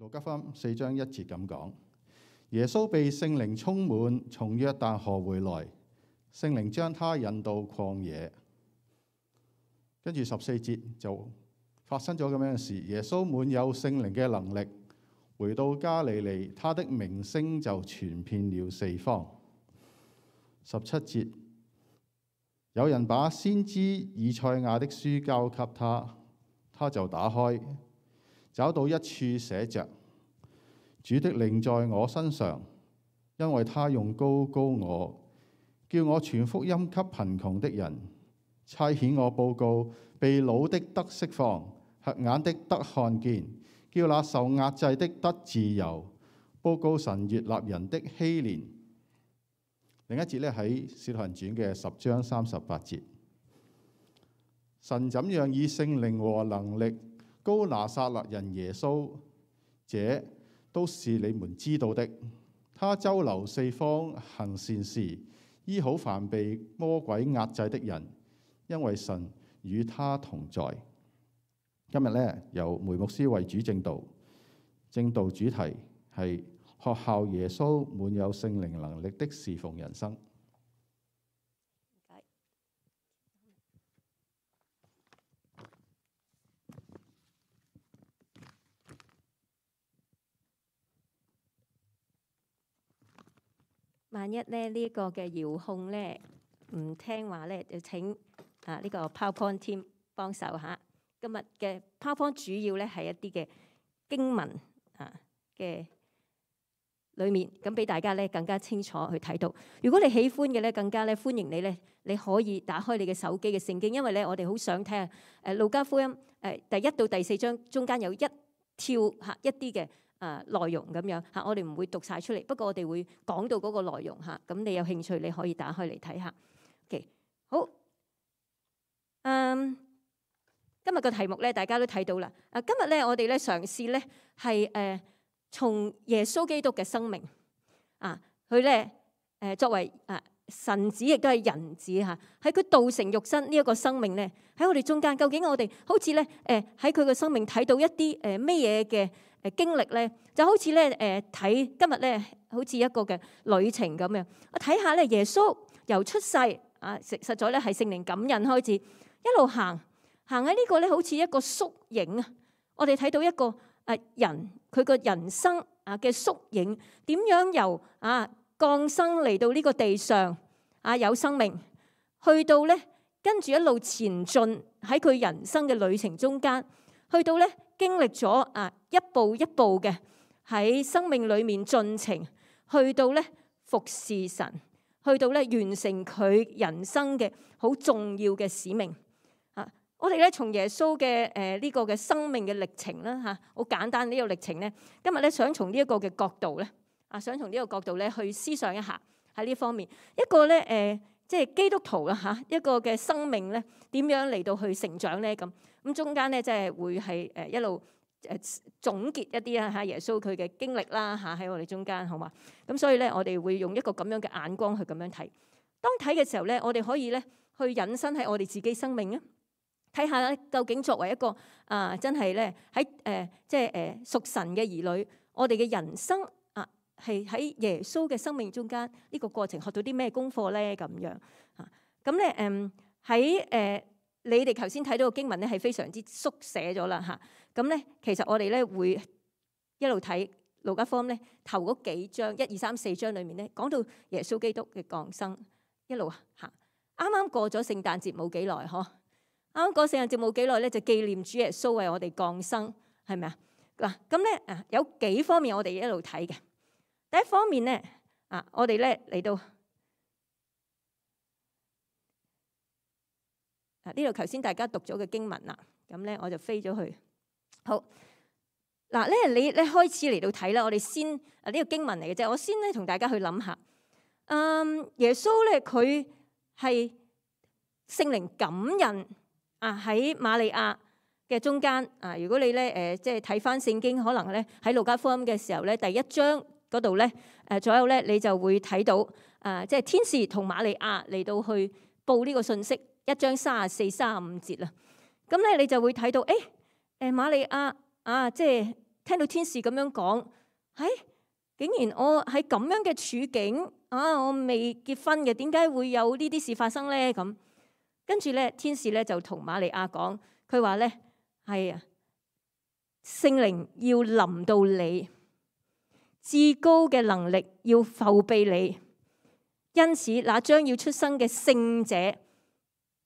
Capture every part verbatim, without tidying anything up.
路加福音四章一節咁講，耶穌被聖靈充滿，從約旦河回來，聖靈將他引到曠野。跟住十四節就發生咗咁樣嘅事，耶穌滿有聖靈嘅能力，回到加利利，他的名聲就傳遍了四方。十七節，有人把先知以賽亞的書交給他，他就打開，找到一處寫着：主的靈在我身上，因為他用膏膏我，叫我傳福音給貧窮的人，差遣我報告被擄的得釋放，瞎眼的得看見，叫那受壓制的得自由，報告神悅納人的禧年。另一節咧喺《使徒行傳》嘅十章三十八節，神怎樣以聖靈和能力膏拿撒勒人耶穌，這都是你們知道的。他周流四方，行善事，醫好凡被魔鬼壓制的人，因為神與他同在。今日咧由梅牧師為主正道，正道主題係學效耶穌滿有聖靈能力的侍奉人生。萬一咧呢個嘅遙控咧唔聽話咧，就請啊呢個 PowerPoint team 幫手嚇。今日嘅 PowerPoint 主要咧係一啲嘅經文啊嘅裏面，咁俾大家咧更加清楚去睇到。如果你喜歡嘅咧，更加咧歡迎你咧，你可以打開你嘅手機嘅聖經，因為咧我哋好想睇下誒路加福音誒第一到第四章中間有一跳嚇一啲嘅誒內容咁樣嚇，我哋唔會讀晒出嚟，不過我哋會講到嗰個內容嚇。咁你有興趣你可以打開嚟睇下。OK， 好，嗯。今日個題目咧，大家都睇到啦。啊，今日咧，我哋咧嘗試咧係誒從耶穌基督嘅生命啊，佢咧誒作為啊神子，亦都係人子嚇，喺佢道成肉身呢一個生命咧，喺我哋中間，究竟我哋好似咧誒喺佢嘅生命睇到一啲誒咩嘢嘅誒經歷咧，就好似咧誒睇今日咧好似一個嘅旅程咁樣。我睇下咧耶穌由出世啊，實實在咧係聖靈感孕開始，一路行。行喺呢個咧，好似一個縮影啊！我哋睇到一個誒人佢個人生啊嘅縮影，點樣由啊降生嚟到呢個地上啊有生命，去到咧跟住一路前進喺佢人生嘅旅程中間，去到咧經歷咗啊一步一步嘅喺生命裏面進程，去到咧服侍神，去到咧完成佢人生嘅好重要嘅使命。我哋咧從耶穌嘅誒呢個嘅生命嘅歷程啦嚇，好簡單呢個歷程咧，今日咧想從呢一個嘅角度咧，啊想從呢個角度咧去思想一下喺呢方面一個咧誒，即係基督徒啊嚇一個嘅生命咧點樣嚟到去成長咧咁咁中間咧即係會係誒一路誒總結一啲啊嚇耶穌佢嘅經歷啦嚇喺我哋中間好嘛？咁所以咧我哋會用一個咁樣嘅眼光去咁樣睇。當睇嘅時候咧，我哋可以咧去引申喺我哋自己生命啊。睇下咧，究竟作為一個啊，真係咧喺誒，即係誒屬神嘅兒女，我哋嘅人生啊，係喺耶穌嘅生命中間呢個過程學到啲咩功課咧？咁樣啊，咁咧誒喺誒你哋頭先睇到個經文咧，係非常之縮寫咗啦嚇。咁咧其實我哋咧會一路睇路加福音咧頭嗰幾章一二三四章裡面咧講到耶穌基督嘅降生，一路行。啱啱過咗聖誕節冇幾耐嗬。啱啱過聖誕節冇幾耐咧，就紀念主耶穌為我哋降生，係咪啊？嗱，咁咧啊，有幾方面我哋一路睇嘅。第一方面咧啊，我哋咧嚟到啊呢度頭先大家讀咗嘅經文啦，咁咧我就飛咗去。好嗱咧，你咧開始嚟到睇啦，我哋先啊呢個經文嚟嘅啫，我先咧同大家去諗下。嗯，耶穌咧佢係聖靈感孕。啊喺瑪利亞嘅中間啊，如果你咧誒即係睇翻聖經，可能咧喺路加福音嘅時候咧，第一章嗰度咧誒左右咧，你就會睇到啊，即係天使同瑪利亞嚟到去報呢個信息，一章三十四、三十五節啦。咁咧你就會睇到誒誒瑪利亞啊，即係聽到天使咁樣講，唉、哎，竟然我喺咁樣嘅處境啊，我未結婚嘅，點解會有呢啲事發生咧？咁跟住咧，天使咧就同瑪利亞講，佢話咧係啊，聖靈要臨到你，至高嘅能力要覆庇你，因此那將要出生嘅聖者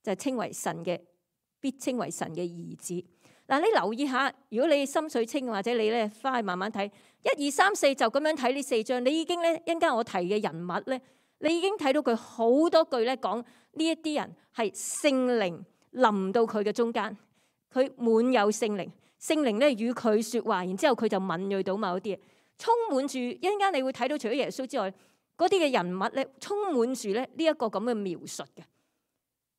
就稱為神嘅，必稱為神嘅兒子。嗱，你留意下，如果你心水清或者你咧翻去慢慢睇，一二三四就咁樣睇呢四章，你已經咧一陣間我提嘅人物咧，你已經睇到佢好多句咧講呢一啲人係聖靈臨到佢嘅中間，佢滿有聖靈，聖靈咧與佢說話，然之後佢就敏銳到某啲嘢，充滿住。一陣間你會睇到除咗耶穌之外，嗰啲嘅人物咧充滿住咧呢一個咁嘅描述嘅，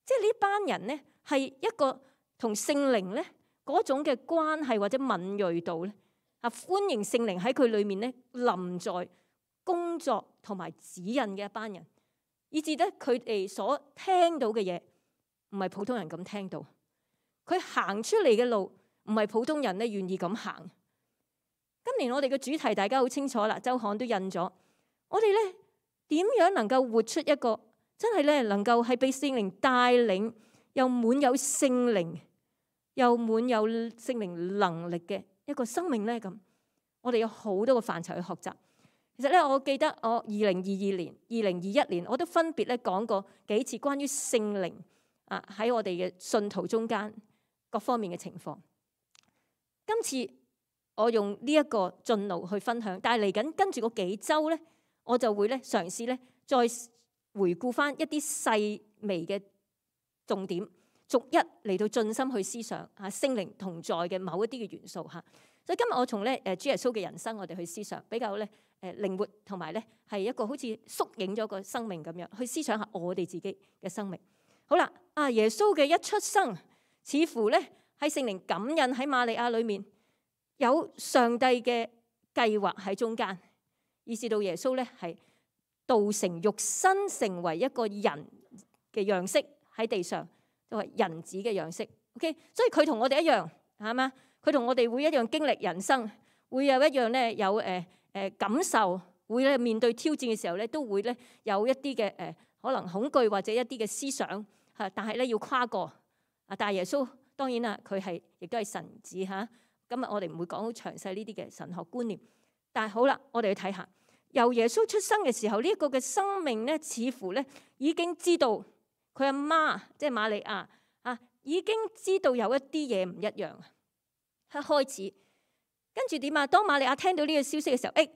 即係呢班人咧係一個同聖靈咧嗰種嘅關係或者敏銳度咧，啊歡迎聖靈喺佢裏面咧臨在工作同埋指引嘅一班人，以至咧佢哋所聽到嘅嘢唔係普通人咁聽到，佢行出嚟嘅路唔係普通人咧願意咁行。今年我哋嘅主題大家好清楚啦，周刊都印咗，我哋咧點樣能夠活出一個真係咧能夠係被聖靈帶領，又滿有聖靈，又滿有聖靈能力嘅一個生命咧？咁我哋有好多個範疇去學習。其實咧，我記得我二零二二年、二零二一年，我都分別咧講過幾次關於聖靈啊喺我哋嘅信徒中間各方面嘅情況。今次我用呢一個進路去分享，但係嚟緊跟住嗰幾週咧，我就會咧嘗試咧再回顧翻一啲細微嘅重點，逐一嚟到盡心去思想嚇聖靈同在嘅某一啲嘅元素嚇。所以今日我從咧誒主耶穌嘅人生，我哋去思想比較咧誒靈活，同埋咧係一個好似縮影咗個生命咁樣去思想下我哋自己嘅生命。好啦，啊耶穌嘅一出生，似乎咧喺聖靈感孕喺瑪利亞裏面，有上帝嘅計劃喺中間，以至到耶穌咧係道成肉身，成為一個人嘅樣式喺地上，就係人子嘅樣式。OK， 所以佢同我哋一樣，係嘛？佢同我哋會一樣經歷人生，會有一樣咧有誒誒、呃、感受，會咧面對挑戰嘅時候咧都會咧有一啲嘅誒可能恐懼或者一啲嘅思想嚇，但係咧要跨過啊！但係耶穌當然啦，佢係亦都係神子嚇。今日我哋唔會講好詳細呢啲嘅神學觀念，但係好啦，我哋去睇下由耶穌出生嘅時候呢一個嘅生命咧，似乎咧已經知道佢阿媽即係瑪利亞啊，已經知道有一啲嘢唔一樣。一開始，跟住點啊？當瑪利亞聽到呢個消息嘅時候，誒，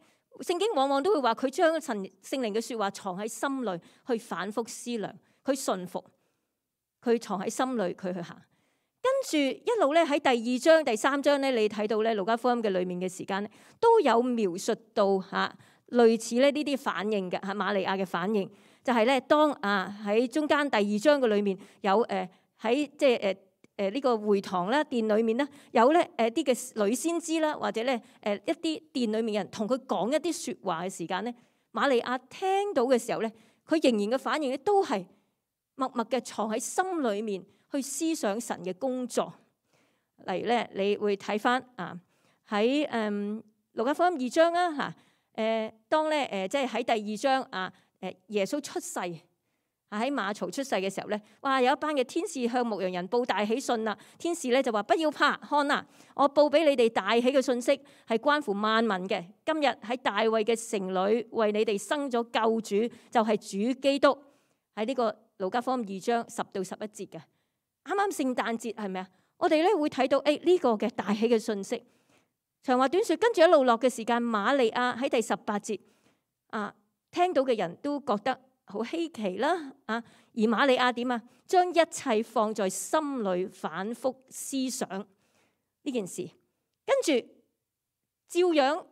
聖經往往都會話佢將神聖靈嘅説話藏喺心裏，去反覆思量，佢順服，佢藏喺心裏，佢去行。跟住一路咧喺第二章、第三章咧，你睇到咧路加福音嘅裏面嘅時間咧，都有描述到嚇類似咧呢啲反應嘅嚇瑪利亞嘅反應，就係咧當啊喺中間第二章嘅裏面有誒喺即係誒。誒呢個會堂啦，殿裏面咧有咧誒啲嘅女先知啦，或者咧誒一啲殿裏面嘅人同佢講一啲説話嘅時間咧，瑪利亞聽到嘅時候咧，佢仍然嘅反應咧都係默默嘅藏喺心裏面去思想神嘅工作。例如咧，你會睇翻啊喺誒路加福音二章啊嚇誒，當咧誒即係喺第二章啊誒耶穌出世。喺馬槽出世嘅時候咧，哇！有一班嘅天使向牧羊人報大喜訊啦。天使咧就話：不要怕，看啊，我報俾你哋大喜嘅訊息，係關乎萬民嘅。今日喺大衛嘅城裏，為你哋生咗救主，就係主基督。喺呢個路加福音二章十到十一節嘅，啱啱聖誕節係咪啊？我哋咧會睇到誒呢個嘅大喜嘅訊息。長話短説，跟住一路落嘅時間，瑪利亞喺第十八節啊，聽到嘅人都覺得好稀奇啦，啊！而瑪利亞點啊？將一切放在心裏，反覆思想呢件事，跟住照樣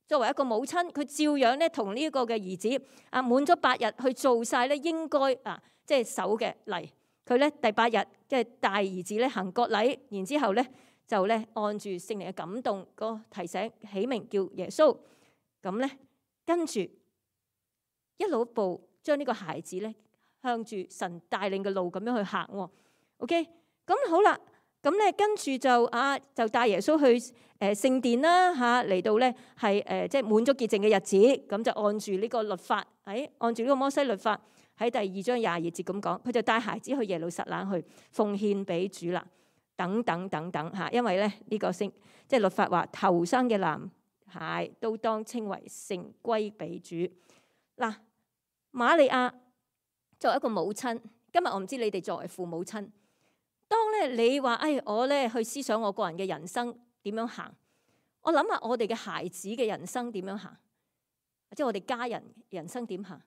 作為一個母親，佢照樣咧同呢一個嘅兒子啊，滿咗八日去做晒咧應該啊，即係守嘅禮。佢咧第八日即係大兒子咧行割禮，然之後咧就咧按住聖靈嘅感動個提醒起名叫耶穌。咁咧跟住一路一步。將呢個孩子咧向住神帶領嘅路咁樣去行喎。OK，咁好啦。咁咧跟住就啊就帶耶穌去誒聖殿啦嚇，嚟到咧係誒即係滿足潔淨嘅日子，咁就按住呢個律法，喺按住呢個摩西律法喺第二章廿二節咁講，佢就帶孩子去耶路撒冷去奉獻俾主啦，等等等等嚇，因為咧呢個聖即係律法話頭生嘅男孩都當稱為聖歸俾主。嗱，瑪利亞作為一個母親，今日我唔知你哋作為父母親。當咧你話，哎，我咧去思想我個人嘅人生點樣行，我諗下我哋嘅孩子嘅人生點樣行，即係我哋家人人生點行。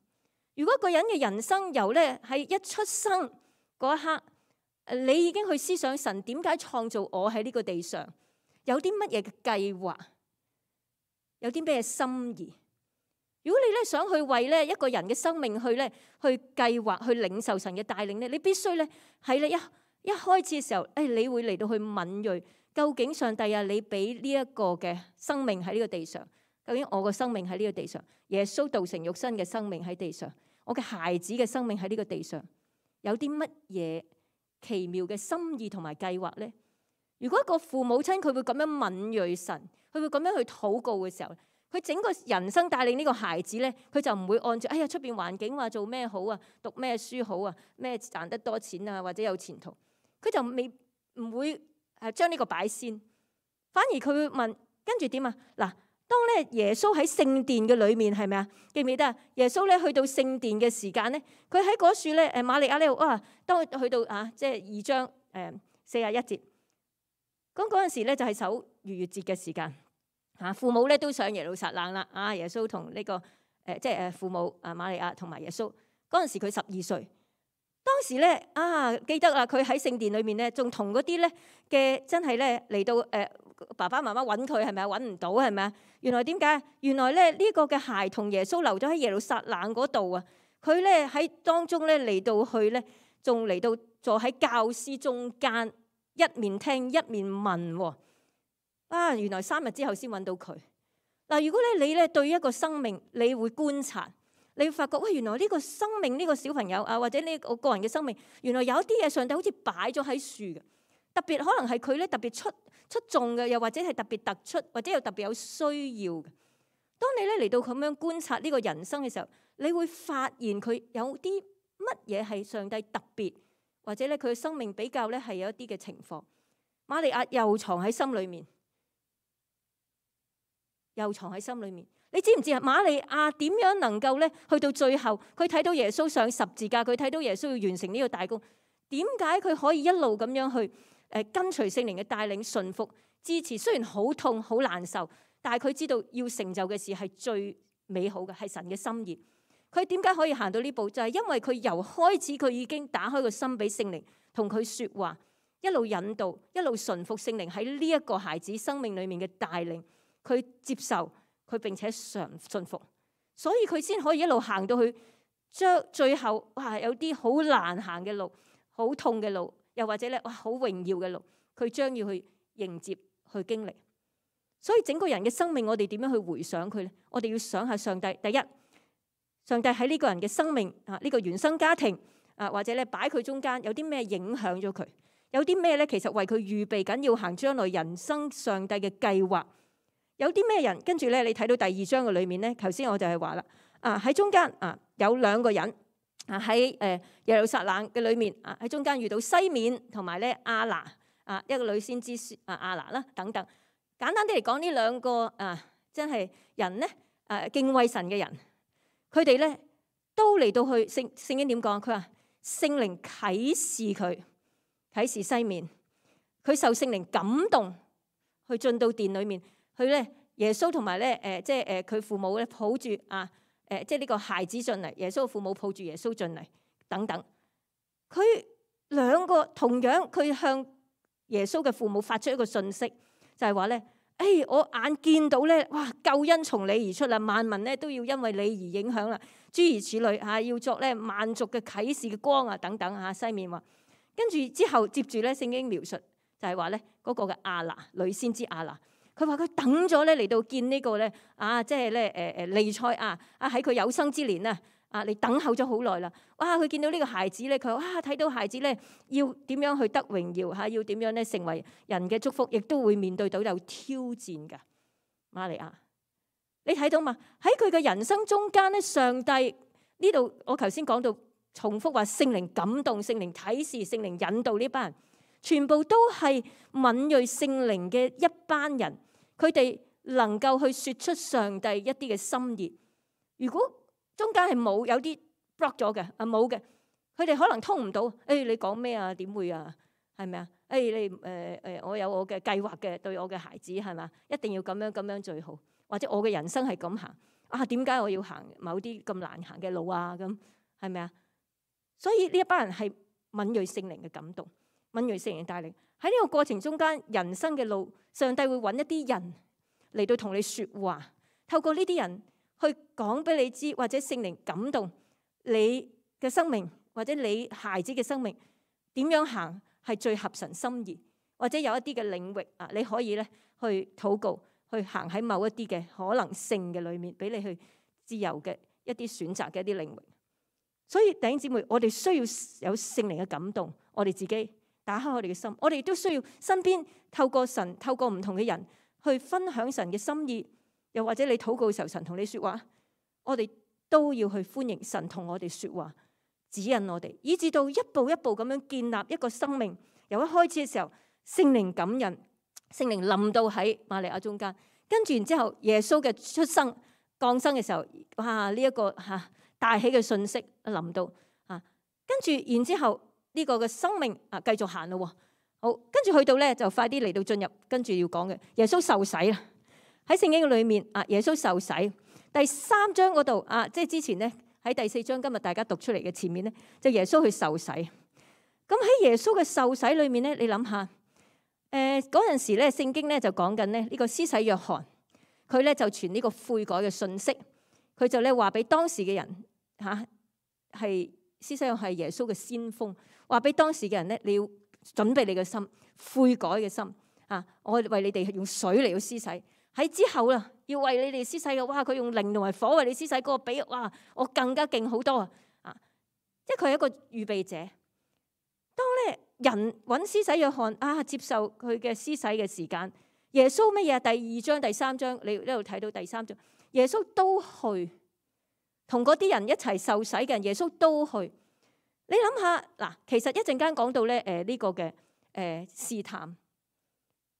如果一個人嘅人生由咧喺一出生嗰一刻，你已經去思想神點解創造我喺呢個地上，有啲乜嘢嘅計劃，有啲咩心意。如果你咧想去為咧一個人嘅生命去咧去計劃去領受神嘅帶領咧，你必須咧喺咧一一開始嘅時候，誒，你會嚟到去敏銳，究竟上帝啊，你俾呢一個嘅生命喺呢個地上，究竟我個生命喺呢個地上，耶穌道成肉身嘅生命喺地上，我嘅孩子嘅生命喺呢個地上，有啲乜嘢奇妙嘅心意同埋計劃咧？如果一個父母親佢會咁樣敏銳神，佢會咁樣去禱告嘅時候，佢整個人生帶領呢個孩子咧，佢就唔會按照哎呀出邊環境話做咩好啊，讀咩書好啊，咩賺得多錢啊，或者有前途。佢就未唔會誒將呢個擺先，反而佢會問跟住點啊？嗱，當咧耶穌喺聖殿嘅裏面係咪啊？記唔記得啊？耶穌咧去到聖殿嘅時間咧，佢喺嗰處咧誒瑪利亞呢度啊，當佢去到啊即係二章誒四十一節，咁嗰陣時咧就係守逾越節嘅時間嚇，父母咧都上耶路撒冷啦啊！耶穌同呢個誒即係誒父母啊瑪利亞同埋耶穌嗰陣時佢十二歲。當時咧啊，記得啦，佢喺聖殿裏面咧，仲同嗰啲咧嘅真係咧嚟到誒、呃、爸爸媽媽揾佢係咪啊？揾唔到係咪啊？原來點解？原來咧呢、這個嘅孩童耶穌留咗喺耶路撒冷嗰度啊！佢咧喺當中咧嚟到去咧，仲嚟到坐喺教師中間，一面聽一面問喎。啊！原來三日之後先揾到佢。嗱，如果咧你咧對一個生命，你會觀察。你會發覺，喂，原來呢個生命呢個小朋友啊，或者呢個個人嘅生命，原來有啲嘢上帝好似擺咗喺樹嘅，特別可能係佢咧特別出出眾嘅，又或者係特別突出，或者又特別有需要嘅。當你咧嚟到咁樣觀察呢個人生嘅時候，你會發現佢有啲乜嘢係上帝特別，或者咧佢嘅生命比較咧係有一啲嘅情況。瑪利亞又藏喺心裏面，又藏喺心裏面。你知唔知啊？瑪利亞點樣能夠咧去到最後，佢睇到耶穌上十字架，佢睇到耶穌要完成呢個大功，點解佢可以一路咁樣去誒跟隨聖靈嘅帶領、順服、支持？雖然好痛、好難受，但係佢知道要成就嘅事係最美好嘅，係神嘅心意。佢點解可以行到呢步？就係因為佢由開始佢已經打開個心俾聖靈同佢説話，一路引導，一路順服聖靈喺呢一個孩子生命裡面嘅帶領，佢接受。佢並且常順服，所以佢先可以一路行到去，將最後哇有啲好難行嘅路，好痛嘅路，又或者咧哇好榮耀嘅路，佢將要去迎接去經歷。所以整個人嘅生命，我哋點樣去回想佢咧？我哋要想下上帝。第一，上帝喺呢個人嘅生命啊，呢個原生家庭啊，或者咧擺佢中間，有啲咩影響咗佢？有啲咩咧？其實為佢預備緊要行將來人生上帝嘅計劃。有啲咩人？跟住咧，你睇到第二章嘅裏面咧，頭先我就係話啦，啊喺中間啊有兩個人啊喺誒耶路撒冷嘅裏面啊喺中間遇到西面同埋咧亞拿啊一個女先知啊亞拿啦等等。簡單啲嚟講，呢兩個啊真係人咧誒敬畏神嘅人，佢哋咧都嚟到去聖聖經點講？佢話聖靈啟示佢，啟示西面，佢受聖靈感動去進到殿裏面。佢咧耶穌同埋咧誒即係誒佢父母咧抱住啊誒即係呢個孩子進嚟，耶穌嘅父母抱住耶穌進嚟等等。佢兩個同樣佢向耶穌嘅父母發出一個訊息，就係話咧誒我眼見到咧哇救恩從你而出啦，萬民咧都要因為你而影響啦，諸如此類嚇，要作咧萬族嘅啟示嘅光啊等等嚇。西面話跟住之後接住咧聖經描述就係話咧嗰個嘅亞拿女先知亞拿。佢話佢等咗咧嚟到見呢個咧啊，即係咧誒誒彌賽亞啊喺佢有生之年啊啊，你等候咗好耐啦。哇！佢見到呢個孩子咧，佢哇睇到孩子咧要點樣去得榮耀嚇，要點樣咧成為人嘅祝福，亦都會面對到有挑戰㗎。瑪利亞，你睇到嘛？喺佢嘅人生中間咧，上帝呢度我頭先講到重複話聖靈感動、聖靈啟示、聖靈引導呢班人，全部都係敏鋭聖靈嘅一班人，佢哋能夠去説出上帝一啲嘅心意。如果中間係冇有啲 block 咗嘅啊，冇嘅，佢哋可能通唔到。誒、哎，你講咩啊？點會啊？係咪啊？誒、哎，你誒誒、呃，我有我嘅計劃嘅，對我嘅孩子係嘛？一定要咁樣咁樣最好。或者我嘅人生係咁行啊？點解我要行某啲咁難行嘅路啊？咁係咪啊？所以呢一班人係敏鋭聖靈嘅感動，敏鋭聖靈帶領喺呢個過程中間，人生嘅路，上帝會揾一啲人嚟到同你説話，透過呢啲人去講俾你知，或者聖靈感動你嘅生命，或者你孩子嘅生命點樣行係最合神心意，或者有一啲嘅領域啊，你可以咧去禱告，去行喺某一啲嘅可能性嘅裏面，俾你去自由嘅一啲選擇嘅一啲領域。所以弟兄姊妹，我哋需要有聖靈嘅感動，我哋自己打開我哋嘅心，我哋都需要身邊透過神，透過唔同嘅人去分享神嘅心意。又或者你禱告嘅時候，神同你說話，我哋都要去歡迎神同我哋說話，指引我哋，以至到一步一步咁樣建立一個生命。由一開始嘅時候，聖靈感人，聖靈臨到喺瑪利亞中間，跟住然之後耶穌嘅出生降生嘅時候，哇！呢、這、一個吓大喜嘅信息臨到啊，跟住然之後呢個嘅生命啊繼續行咯。好，跟住去到咧就快啲嚟到進入，跟住要講嘅耶穌受洗啦。喺聖經裏面啊，耶穌受洗第三章嗰度啊，即係之前咧喺第四章今日大家讀出嚟嘅前面咧，就耶穌去受洗。咁喺耶穌嘅受洗裏面咧，你諗下，誒嗰陣時咧聖經咧就講緊咧呢個施洗約翰，佢咧就傳呢個悔改嘅信息，佢就咧話俾當時嘅人嚇係施洗約翰係耶穌嘅先鋒，話俾當時嘅人咧，你要準備你嘅心，悔改嘅心啊！我為你哋用水嚟到施洗。喺之後啦，要為你哋施洗嘅，哇！佢用靈同埋火為你施洗，嗰個比哇，我更加勁好多啊！啊，即係佢係一個預備者。當咧人揾施洗約翰啊，接受佢嘅施洗嘅時間，耶穌乜嘢？第二章、第三章，你呢度睇到第三章，耶穌都去同嗰啲人一齊受洗嘅人，耶穌都去。你諗下嗱，其實一陣間講到咧，誒、這、呢個嘅誒試探，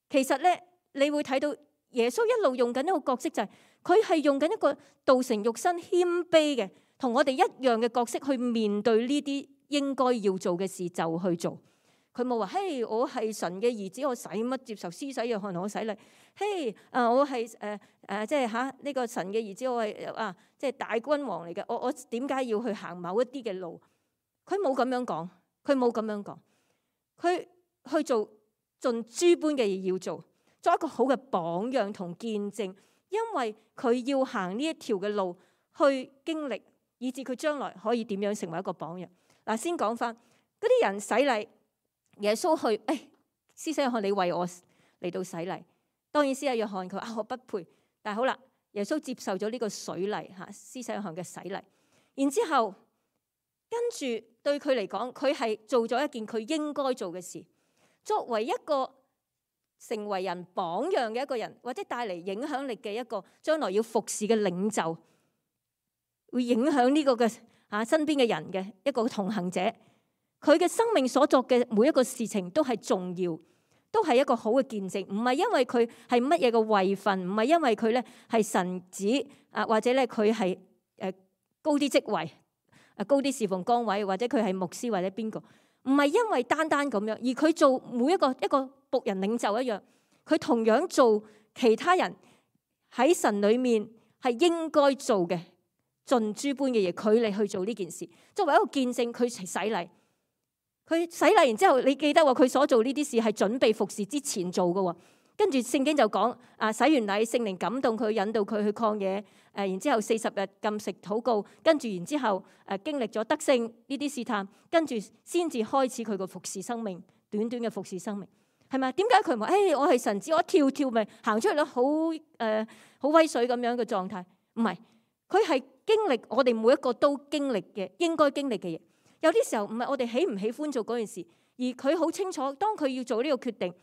其實咧你會睇到。耶穌一路用緊一個角色，就係佢係用緊一個道成肉身謙卑嘅，同我哋一樣嘅角色去面對呢啲應該要做嘅事就去做。佢冇話，嘿，我係神嘅兒子，我使乜接受施洗約翰同我洗禮？嘿，啊，我係誒誒，即係嚇呢個神嘅兒子，我係啊，即係大君王嚟嘅。我我點解要去行某一啲嘅路？佢冇咁樣講，佢冇咁樣講，佢去做盡諸般嘅嘢要做。作一個好嘅榜樣同見證，因為佢要行呢一條嘅路去經歷，以至佢將來可以點樣成為一個榜樣。嗱，先講翻嗰啲人洗禮，耶穌去，誒，施洗約翰你為我嚟到洗禮。當然施洗約翰佢話我不配，但係好啦，耶穌接受咗呢個水禮嚇，施洗約翰嘅洗禮。然之後跟住對佢嚟講，佢係做咗一件佢應該做嘅事，作為一個成為人榜樣嘅一個人，或者帶嚟影響力嘅一個將來要服侍嘅領袖，會影響呢個嘅啊身邊嘅人嘅一個同行者。佢嘅生命所作嘅每一個事情都係重要，都係一個好嘅見證。唔係因為佢係乜嘢嘅位份，唔係因為佢咧係神子啊，或者咧佢係誒高啲職位啊，高啲侍奉崗位，或者佢係牧師或者邊個。唔係因為單單咁樣，而佢做每一個一個僕人領袖一樣，佢同樣做其他人喺神裏面係應該做嘅，盡諸般嘅嘢，佢嚟去做呢件事，作為一個見證，佢洗禮，佢洗禮然之後，你記得話佢所做呢啲事係準備服侍之前做嘅。跟住聖經就講啊，洗完禮，聖靈感動佢，引導佢去曠野，誒，然之後四十日禁食禱告，跟住然之後誒經歷咗得勝呢啲試探，跟住先至開始佢個服侍生命，短短嘅服侍生命，係咪？點解佢唔話誒我係神子，我一跳跳咪行出嚟咯，好誒好威水咁樣嘅狀態？唔係，佢係經歷我哋每一個都經歷嘅應該經歷嘅嘢。有啲時候唔係我哋喜唔喜歡做嗰件事，而佢好清楚，當佢要做呢個決定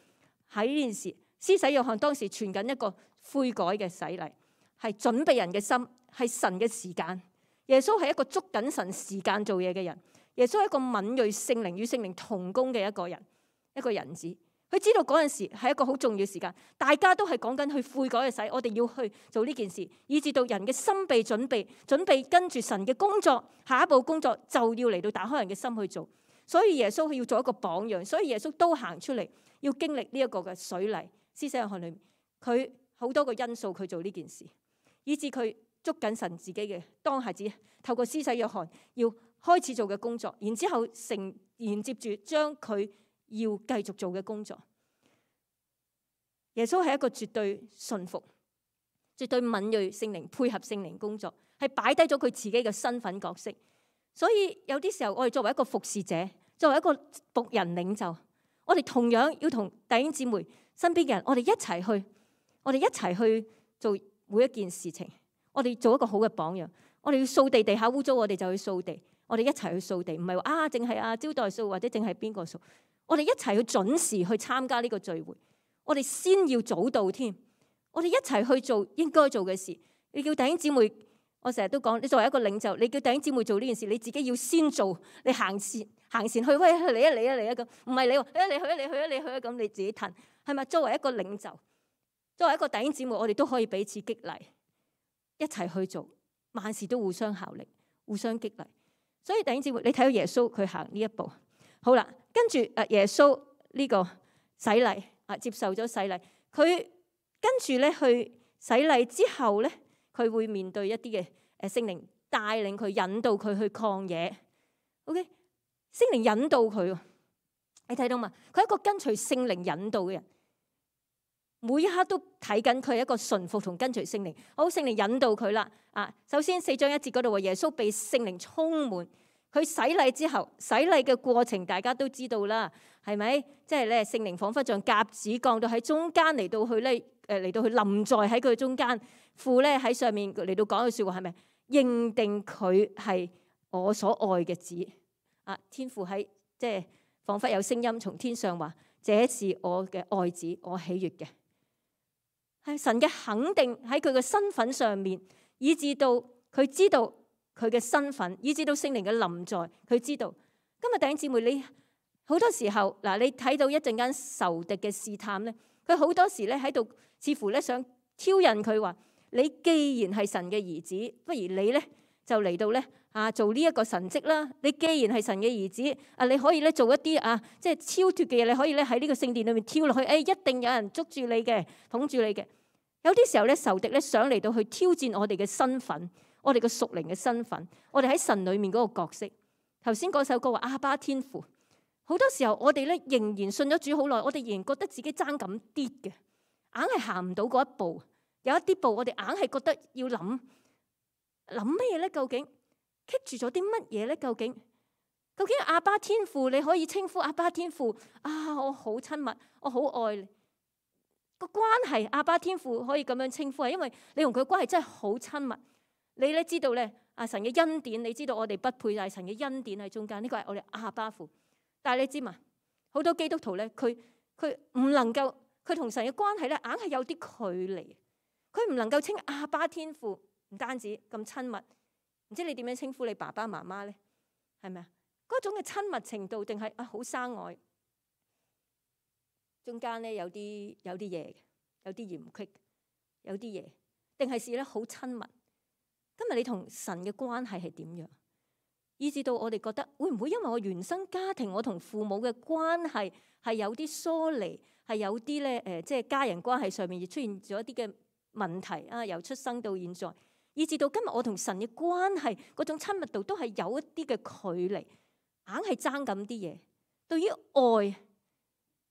喺呢件事，施洗約翰當時傳緊一個悔改嘅洗禮，係準備人嘅心，係神嘅時間。耶穌係一個捉緊神時間做嘢嘅人，耶穌係一個敏銳聖靈與聖靈同工嘅一個人，一個人子。佢知道嗰陣時係一個好重要時間，大家都係講緊去悔改嘅洗，我哋要去做呢件事，以至到人嘅心被準備，準備跟住神嘅工作，下一步工作就要嚟到打開人嘅心去做。所以耶穌要做一個榜樣，所以耶穌都行出嚟，要經歷呢一個嘅水禮。施洗約翰裏面，佢好多個因素佢做呢件事，以至佢捉緊神自己嘅當下子，透過施洗約翰要開始做嘅工作，然之後承連接住將佢要繼續做嘅工作。耶穌係一個絕對順服、絕對敏銳聖靈配合聖靈工作，係擺低咗佢自己嘅身份角色。所以有啲時候我哋作為一個服侍者，作為一個僕人領袖，我哋同樣要同弟兄姊妹身邊嘅人，我哋一齊去，我哋一齊去做每一件事情。我哋做一個好嘅榜樣。我哋要掃地，地下污糟，我哋就去掃地。我哋一齊去掃地，唔係話啊，淨係啊招待掃或者淨係邊個掃。我哋一齊去準時去參加呢個聚會。我哋先要早到添。我哋一齊去做應該做嘅事。你叫弟兄姊妹，我成日都講，你作為一個領袖，你叫弟兄姊妹做呢件事，你自己要先做。你行前行前去，喂，嚟啊嚟啊嚟啊咁，唔係你話，誒你去啊你去啊你去啊咁，你自己褪係咪？作為一個領袖，作為一個弟兄姊妹，我哋都可以彼此激勵，一齊去做，萬事都互相效力，互相激勵。所以弟兄姊妹，你睇到耶穌佢行呢一步，好啦，跟住誒耶穌呢個洗禮啊，接受咗洗禮，佢跟住咧去洗禮之後咧，佢會面對一啲嘅誒聖靈帶領佢，引導佢去曠野。OK，聖靈引導佢，你睇到嘛？佢係一個跟隨聖靈引導嘅人。每一刻都睇緊佢係一個順服同跟隨聖靈，好，聖靈引導佢啦。啊，首先四章一節嗰度話耶穌被聖靈充滿，佢洗禮之後，洗禮嘅過程大家都知道啦，係咪？即係咧，聖靈彷彿像鴿子降到喺中間嚟到去咧，誒嚟到去臨在喺佢中間，父咧喺上面嚟到講句説話，係咪？認定佢係我所愛嘅子。啊，天父喺即係彷彿有聲音從天上話：這是我嘅愛子，我喜悅嘅。係神嘅肯定喺佢嘅身份上面，以至到佢知道佢嘅身份，以至到聖靈嘅臨在，佢知道。今日弟兄姊妹，你好多時候嗱，你睇到一陣間仇敵嘅試探咧，佢好多時咧喺度，似乎咧想挑釁佢話：你既然係神嘅兒子，不如你咧就嚟到咧啊做呢一個神蹟啦。你既然係神嘅兒子，啊你可以咧做一啲啊即係超脫嘅嘢，你可以咧喺呢個聖殿裏面跳落去，誒、哎、一定有人捉住你嘅，捧住你嘅。有啲時候咧，仇敵咧想嚟到去挑戰我哋嘅身份，我哋嘅屬靈嘅身份，我哋喺神裏面嗰個角色。頭先嗰首歌話阿爸天父，好多時候我哋咧仍然信咗主好耐，我哋仍然覺得自己爭咁啲嘅，硬係行唔到嗰一步。有一啲步我哋硬係覺得要諗諗咩咧？究竟棘住咗啲乜嘢咧？究竟究竟阿爸天父你可以稱呼阿爸天父啊？我好親密，我好愛你。個關係，阿爸天父可以咁樣稱呼，係因為你同佢關係真係好親密。你咧知道咧，阿神嘅恩典，你知道我哋不配，但係神嘅恩典喺中間，呢個係我哋阿爸父。但係你知嘛？好多基督徒咧，佢佢唔能夠，佢同神嘅關係咧，硬係有啲距離。佢唔能夠稱阿爸天父，唔單止咁親密。唔知你點樣稱呼你爸爸媽媽咧？係咪啊？嗰種嘅親密程度，定係啊好生愛？中間咧有啲有啲嘢，有啲嫌隙，有啲嘢，定係是咧好親密。今日你同神嘅關係係點樣？以至到我哋覺得會唔會因為我原生家庭，我同父母嘅關係係有啲疏離，係有啲咧誒，即係家人關係上面亦出現咗一啲嘅問題啊？由出生到現在，以至到今日我同神嘅關係嗰種親密度都係有一啲嘅距離，硬係爭咁啲嘢。對於愛。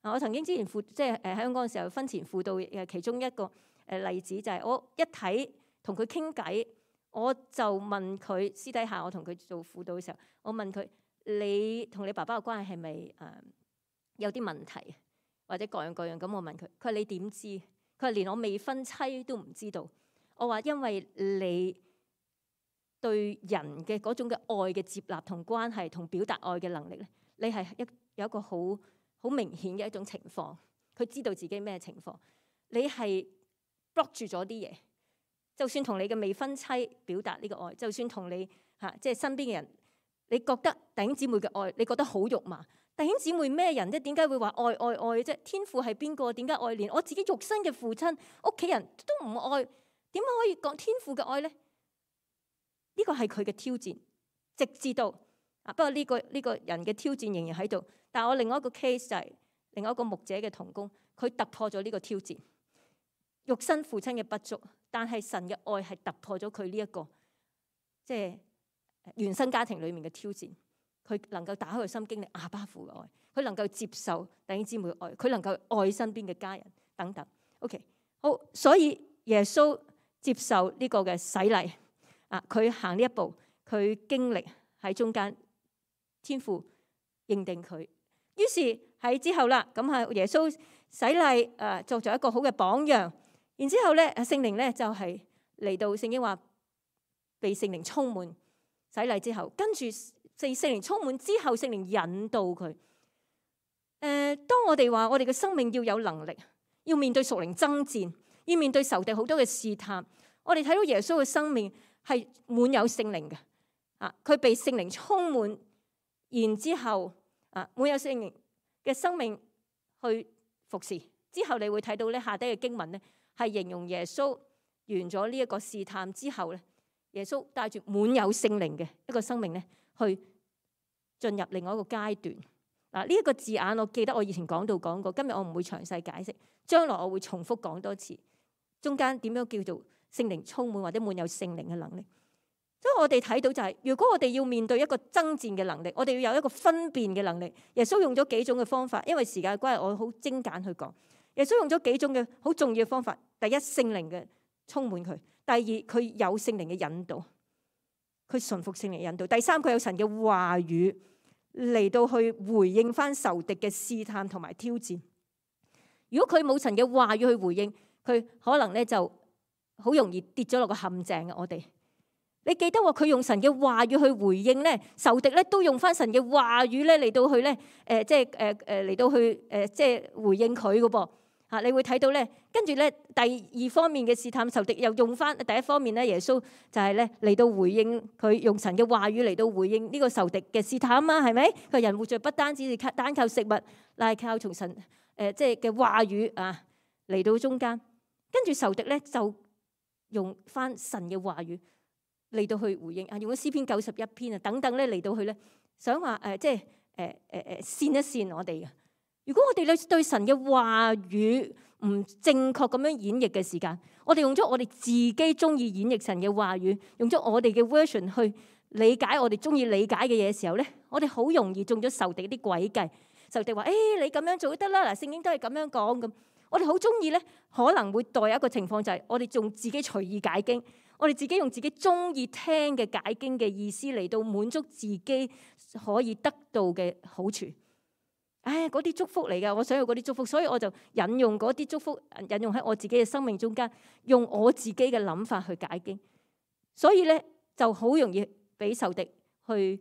我曾經之前輔即係誒喺香港嘅時候婚前輔導誒其中一個誒例子就係我一睇同佢傾偈，我就問佢私底下我同佢做輔導嘅時候，我問佢你同你爸爸嘅關係係咪誒有啲問題或者各樣各樣咁？我問佢，佢話你點知？佢話連我未婚妻都唔知道。我話因為你對人嘅嗰種嘅愛嘅接納同關係同表達愛嘅能力咧，你係一有一個好好明顯嘅一種情況。佢知道自己咩情況，你係 block 住咗啲嘢。就算同你嘅未婚妻表達呢個愛，就算同你嚇即係身邊嘅人，你覺得弟兄姊妹嘅愛，你覺得好肉麻。弟兄姊妹咩人啫？點解會話愛愛愛啫？天父係邊個？點解愛？連我自己肉身嘅父親、屋企人都唔愛，點解可以講天父嘅愛咧？呢個係佢嘅挑戰，直至到啊。不過呢個呢個人嘅挑戰仍然喺度。但係我另外一個 case 就係另外一個牧者嘅同工，佢突破咗呢個挑戰，肉身父親嘅不足，但係神嘅愛係突破咗佢呢一個即係原生家庭裡面嘅挑戰。佢能夠打開個心經歷阿爸父嘅愛，佢能夠接受弟兄姊妹嘅愛，佢能夠愛身邊嘅家人等等。OK， 好，所以耶穌接受呢個嘅洗禮啊，佢行呢一步，佢經歷喺中間，天父認定佢，於是喺之後啦，咁係耶穌洗禮誒，作咗一個好嘅榜樣。然之後咧，聖靈咧就係嚟到，聖經話被聖靈充滿洗禮之後，跟住。聖聖靈充滿之後，聖靈引導佢。誒、呃，當我哋話我哋嘅生命要有能力，要面對屬靈爭戰，要面對仇敵好多嘅試探，我哋睇到耶穌嘅生命係滿有聖靈嘅。啊，佢被聖靈充滿，然之後啊，滿有聖靈嘅生命去服侍。之後你會睇到咧，下低嘅經文咧係形容耶穌完咗呢一個試探之後咧，耶穌帶住滿有聖靈嘅一個生命咧，去進入另外一個階段。嗱，呢一個字眼我記得我以前講到講過，今日我唔會詳細解釋，將來我會重複講多次。中間點樣叫做聖靈充滿或者滿有聖靈嘅能力？所以我哋睇到就係、是，如果我哋要面對一個爭戰嘅能力，我哋要有一個分辨嘅能力。耶穌用咗幾種嘅方法，因為時間關係，我好精簡去講。耶穌用咗幾種嘅好重要嘅方法。第一，聖靈嘅充滿佢；第二，佢有聖靈嘅引導。佢順服聖靈引導。第三，佢有神嘅話語嚟到去回應翻仇敵嘅試探同埋挑戰。如果佢冇神嘅話語去回應，佢可能咧就好容易跌咗落個陷阱嘅。我哋，你記得喎，佢用神嘅話語去回應咧，仇敵咧都用翻神嘅話語咧嚟到去咧，誒即係誒誒嚟到去誒即係回應佢嘅噃。嚇！你會睇到咧，跟住咧第二方面嘅試探仇敵又用翻第一方面咧，耶穌就係咧嚟到回應佢，用神嘅話語嚟到回應呢個仇敵嘅試探啊嘛，係咪？個人活着不單止係靠單靠食物，乃係靠從神誒即係嘅話語啊嚟到中間。跟住仇敵咧就用翻神嘅話語嚟到去回應啊，用咗詩篇九十一篇啊等等咧嚟到去咧想話誒即係誒誒誒煽一煽我哋嘅。如果我哋咧對神嘅話語唔正確咁樣演繹嘅時間，我哋用咗我哋自己中意演繹神嘅話語，用咗我哋嘅 version 去理解我哋中意理解嘅嘢嘅時候咧，我哋好容易中咗仇敵啲詭計。仇敵話：誒、哎、你咁樣做都得啦，嗱聖經都係咁樣講咁。我哋好中意咧，可能會代一個情況就係我哋仲自己隨意解經，我哋自己用自己中意聽嘅解經嘅意思嚟到滿足自己可以得到嘅好處。唉，嗰啲祝福嚟噶，我想要嗰啲祝福，所以我就引用嗰啲祝福，引用喺我自己嘅生命中間，用我自己嘅諗法去解經，所以咧就好容易俾仇敵去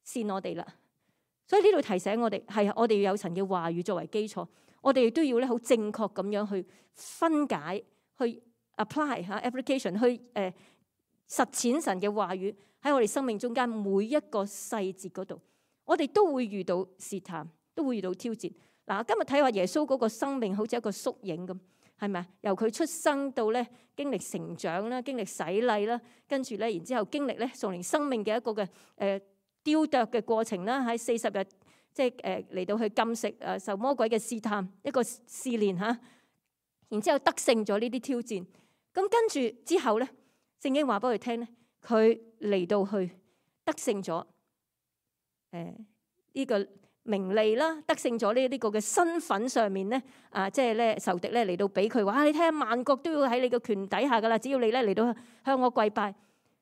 煽我哋啦。所以呢度提醒我哋，係我哋要有神嘅話語作為基礎，我哋亦都要咧好正確咁樣去分解、去 apply 吓 application，去誒、呃、實踐神嘅話語喺我哋生命中間每一個細節嗰度，我哋都會遇到試探。都會遇到挑戰。嗱，今日睇話耶穌嗰個生命好似一個縮影咁，係咪啊？由佢出生到咧經歷成長啦，經歷洗禮啦，跟住咧然之後經歷咧屬靈生命嘅一個嘅誒雕琢嘅過程啦，喺四十日即係誒嚟到去禁食誒受魔鬼嘅試探一個試煉嚇，然之後得勝咗呢啲挑戰。咁跟住之後咧，聖經話俾佢聽咧，佢嚟到去得勝咗誒呢個名利啦，得勝咗呢呢個嘅身份上面咧，啊，即係咧仇敵咧嚟到俾佢話，你睇下萬國都要喺你嘅權底下噶啦，只要你咧嚟到向我跪拜。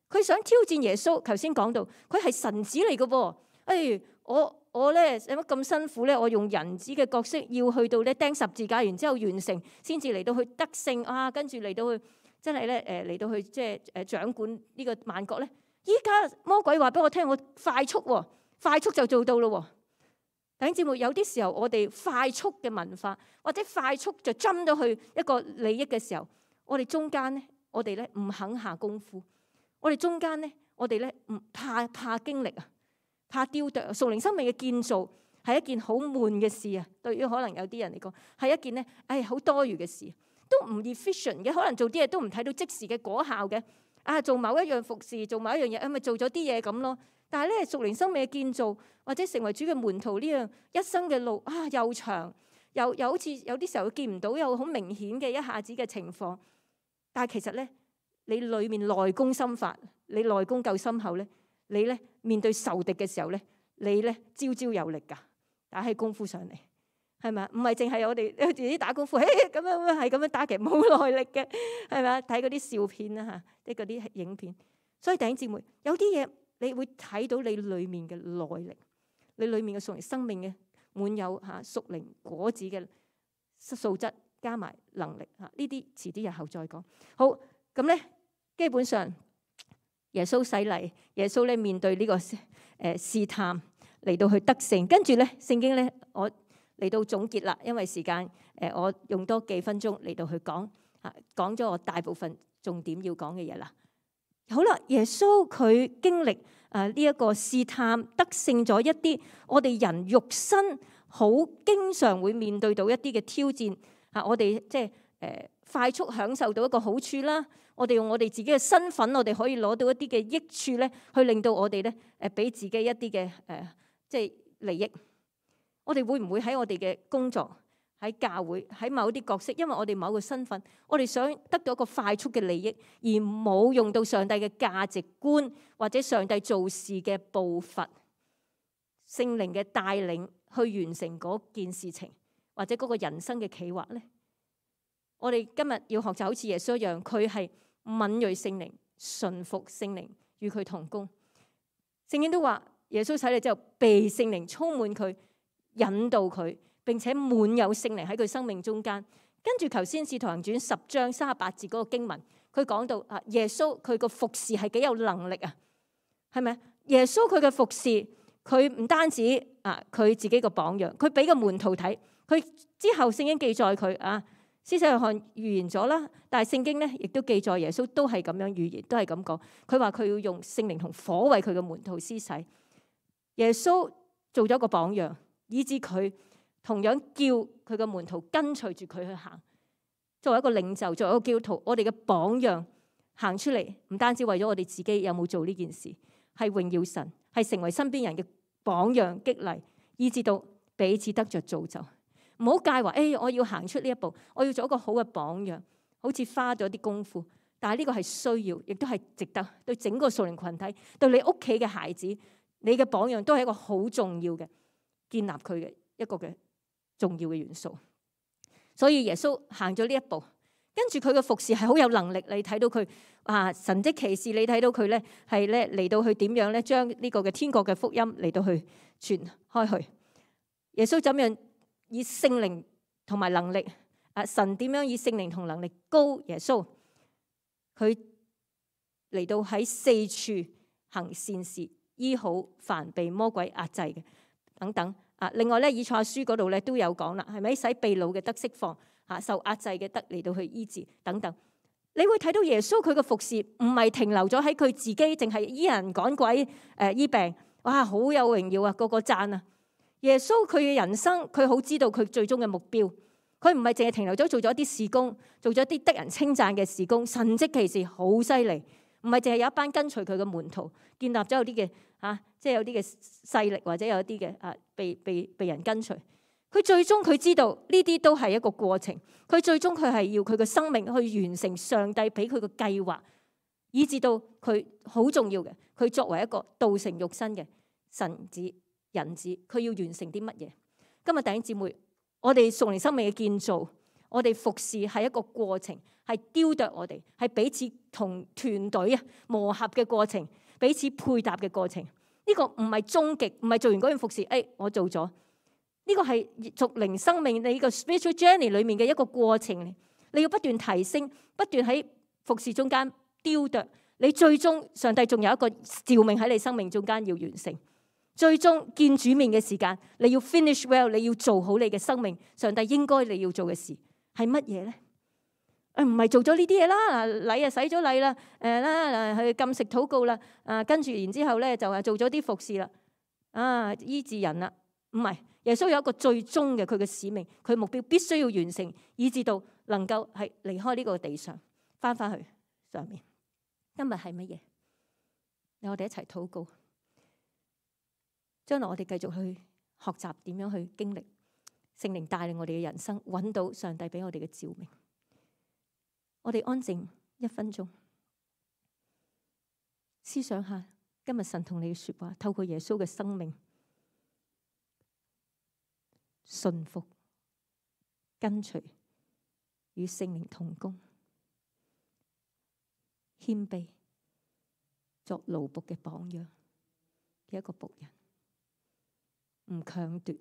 佢想挑戰耶穌，頭先講到佢係神子嚟嘅噃。哎，我我咧有乜咁辛苦咧？我用人子嘅角色要去到咧釘十字架，然之後完成，先至嚟到去得勝啊！跟住嚟到去真係咧誒嚟到去即係誒掌管呢個萬國咧。依家魔鬼話俾我聽，我快速喎，快速就做到咯喎。弟兄姊妹，有啲時候我哋快速嘅文化，或者快速就針咗去一個利益嘅時候，我哋中間咧，我哋咧唔肯下功夫。我哋中間咧，我哋咧唔怕怕經歷啊，怕雕琢。屬靈生命嘅建造係一件好悶嘅事啊。對於可能有啲人嚟講，係一件咧，唉，好多餘嘅事，都唔 efficient 嘅。可能做啲嘢都唔睇到即時嘅果效嘅。啊，做某一樣服侍，做某一樣嘢，咁咪做咗啲嘢咁咯。但係咧，屬靈生命嘅建造或者成為主嘅門徒呢樣一生嘅路啊，又長又又好似有啲時候見唔到有好明顯嘅一下子嘅情況。但係其實咧，你裏面內功心法，你內功夠深厚咧，你咧面對仇敵嘅時候咧，你咧招招有力㗎，打起功夫上嚟，係咪啊？唔係淨係我哋自己打功夫，嘿咁樣係咁樣打，其實冇耐力嘅，係咪啊？睇嗰啲笑片啦嚇，即係嗰啲影片。所以弟兄姊妹，有啲嘢你會睇到你裏面嘅內力，你裏面嘅屬靈生命嘅滿有嚇屬靈果子嘅素質，加埋能力嚇，呢啲遲啲日後再講。好，咁咧，基本上耶穌洗禮，耶穌咧面對呢個誒試探嚟到去得勝，跟住咧聖經咧我嚟到總結啦，因為時間誒我用多幾分鐘嚟到去講嚇，講咗我大部分重點要講嘅嘢啦。好啦，耶穌佢經歷誒呢一個試探，得勝咗一啲我哋人肉身好經常會面對到一啲嘅挑戰嚇，我哋即係誒快速享受到一個好處啦。我哋用我哋自己嘅身份，我哋可以攞到一啲嘅益處咧，去令到我哋咧誒俾自己一啲嘅誒即係利益。我哋會唔會喺我哋嘅工作、喺教會、喺某啲角色，因為我哋某個身份，我哋想得到一個快速嘅利益，而冇用到上帝嘅價值觀或者上帝做事嘅步伐、聖靈嘅帶領去完成嗰件事情，或者嗰個人生嘅企劃咧？我哋今日要學習好似耶穌一樣，佢係敏銳聖靈、順服聖靈，與佢同工。聖經都話耶穌洗禮之後，被聖靈充滿佢，引導佢，並且滿有聖靈喺佢生命中間。跟住頭先《使徒行傳》十章三十八節嗰個經文，佢講到啊，耶穌佢個服侍係幾有能力啊？係咪？耶穌佢嘅服侍，佢唔單止啊，佢自己個榜樣，佢俾個門徒睇，佢之後聖經記載佢啊。施洗約翰預言咗啦，但係聖經咧亦都記載耶穌都係咁樣預言，都係咁講。佢話佢要用聖靈同火為佢嘅門徒施洗。耶穌做咗個榜樣，以致佢同樣叫佢嘅門徒跟隨住佢去行。作為一個領袖，作為一個基督徒，我哋嘅榜樣行出嚟，唔單止為咗我哋自己有冇做呢件事，係榮耀神，係成為身邊人嘅榜樣激勵，以致到彼此得着造就。唔好介懷，誒、哎，我要行出呢一步，我要做一個好嘅榜樣，好似花咗啲功夫。但係呢個係需要，亦都係值得對整個屬靈群體，對你屋企嘅孩子，你嘅榜樣都係一個好重要嘅建立佢嘅一個嘅重要嘅元素。所以耶穌行咗呢一步，跟住佢嘅服侍係好有能力。你睇到佢啊神蹟奇事，你睇到佢咧係咧嚟到去點樣咧將呢個嘅天國嘅福音嚟到去傳開去。耶穌怎樣以聖靈同埋能力，啊神點樣以聖靈同能力膏耶穌，佢嚟到喺四處行善事，醫好凡被魔鬼壓制嘅等等。啊，另外咧以賽亞書嗰度咧都有講啦，係咪使被擄嘅得釋放，啊受壓制嘅得嚟到去醫治等等。你會睇到耶穌佢嘅服侍唔係停留咗喺佢自己，淨係醫人趕鬼誒、呃、醫病，哇好有榮耀啊，個個讚啊！耶穌佢嘅人生，佢好知道佢最終嘅目標，佢唔係淨係停留咗做咗一啲事工，做咗一啲得人稱讚嘅事工，神蹟奇事好犀利，唔係淨係有一班跟隨佢嘅門徒，建立咗有啲嘅嚇，即係有啲嘅勢力或者有一啲嘅啊被被被人跟隨。佢最終佢知道呢啲都係一個過程，佢最終佢係要佢嘅生命去完成上帝俾佢嘅計劃，以至到佢好重要嘅，佢作為一個道成肉身嘅神子。人子佢要完成啲乜嘢？今日弟兄姊妹，我哋屬靈生命嘅建造，我哋服侍係一個過程，係雕琢我哋，係彼此同團隊啊磨合嘅過程，彼此配搭嘅過程。呢個唔係終極，唔係做完嗰樣服侍，誒我做咗。呢個係屬靈生命你個 spiritual journey 裏面嘅一個過程，你要不斷提升，不斷喺服侍中間雕琢你最終上帝仲有一個召命喺你生命中間要完成。最終見主面嘅時間，你要 finish well， 你要做好你嘅生命。上帝應該你要做嘅事係乜嘢咧？誒唔係做咗呢啲嘢啦，禮啊洗咗禮啦，誒啦去禁食禱告啦，啊跟住然之後咧就係做咗啲服侍啦，啊醫治人啦，唔係。耶穌有一個最終嘅佢嘅使命，佢目標必須要完成，以至到能夠係離開呢個地上，翻返去上面。今日係乜嘢？讓我哋一齊禱告。將來我哋繼續去學習點樣去經歷聖靈帶領我哋嘅人生，揾到上帝俾我哋嘅召命。我哋安靜一分鐘，思想下今日神同你嘅說話，透過耶穌嘅生命，順服、跟隨、與聖靈同工、謙卑、作奴僕嘅榜樣嘅一個僕人，唔強奪。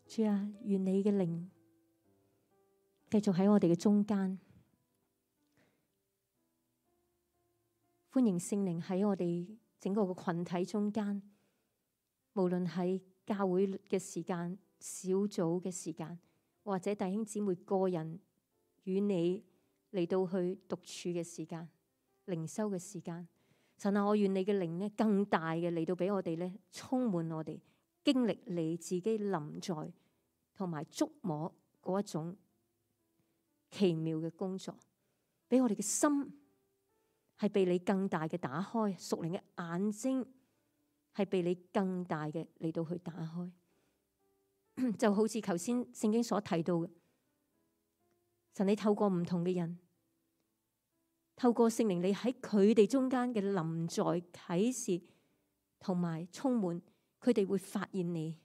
主啊，願你嘅靈繼續喺我哋嘅中間，歡迎聖靈喺我哋整個嘅群體中間，無論喺教會嘅時間、小組嘅時間，或者弟兄姊妹個人與你嚟到去獨處嘅時間、靈修嘅時間。神啊，我願你嘅靈呢更大嘅嚟到俾我哋呢充滿我哋，經歷你自己臨在同埋觸摸嗰一種奇妙嘅工作，俾我哋嘅心係被你更大嘅打開，屬靈嘅眼睛係被你更大嘅嚟到去打開。就好似頭先聖經所提到嘅，神你透過唔同嘅人，透過聖靈你喺佢哋中間嘅臨在啟示同埋充滿，佢哋會發現你。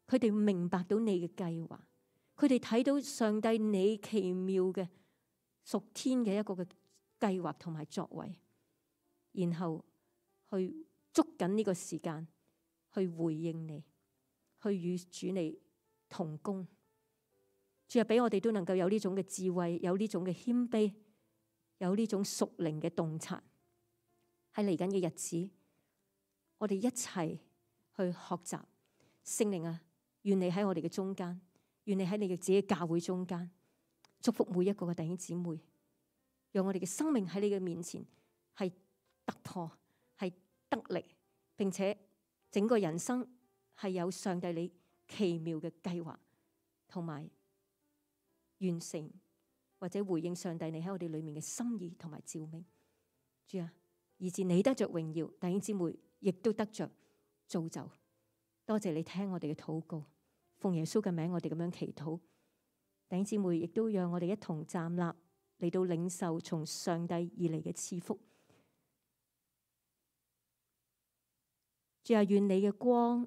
佢哋會明白到你嘅計劃，佢哋睇到上帝你奇妙嘅屬天嘅一個嘅計劃同埋作為，然後去捉緊呢個時間去回應你，去與主你同工。主啊，俾我哋都能夠有呢種嘅智慧，有呢種嘅謙卑，有呢種屬靈嘅洞察。喺嚟緊嘅日子，我哋一齊去學習聖靈啊！願你喺我哋嘅中間，願你喺你嘅自己教會中間，祝福每一個嘅弟兄姊妹，讓我哋嘅生命喺你嘅面前係突破，係得力，並且整個人生係有上帝你奇妙嘅計劃同埋完成，或者回應上帝你喺我哋裏面嘅心意同埋召命。主啊，以致你得着榮耀，弟兄姊妹亦都得着造就。多謝你聽我哋嘅禱告，奉耶穌嘅名，我哋咁樣祈禱。弟兄姊妹亦都讓我哋一同站立嚟到領受從上帝而嚟嘅賜福。主啊，願你嘅光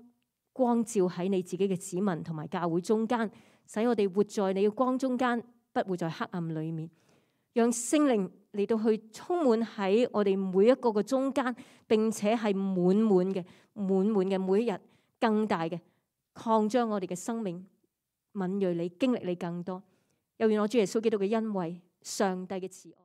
光照喺你自己嘅子民同埋教會中間，使我哋活在你嘅光中間，不會在黑暗裏面。讓聖靈嚟到去充滿喺我哋每一個嘅中間，並且係滿滿嘅、滿滿嘅每一日。更大嘅擴張我哋嘅生命，敏銳你，經歷你更多。又願我主耶穌基督嘅恩惠、上帝嘅慈愛。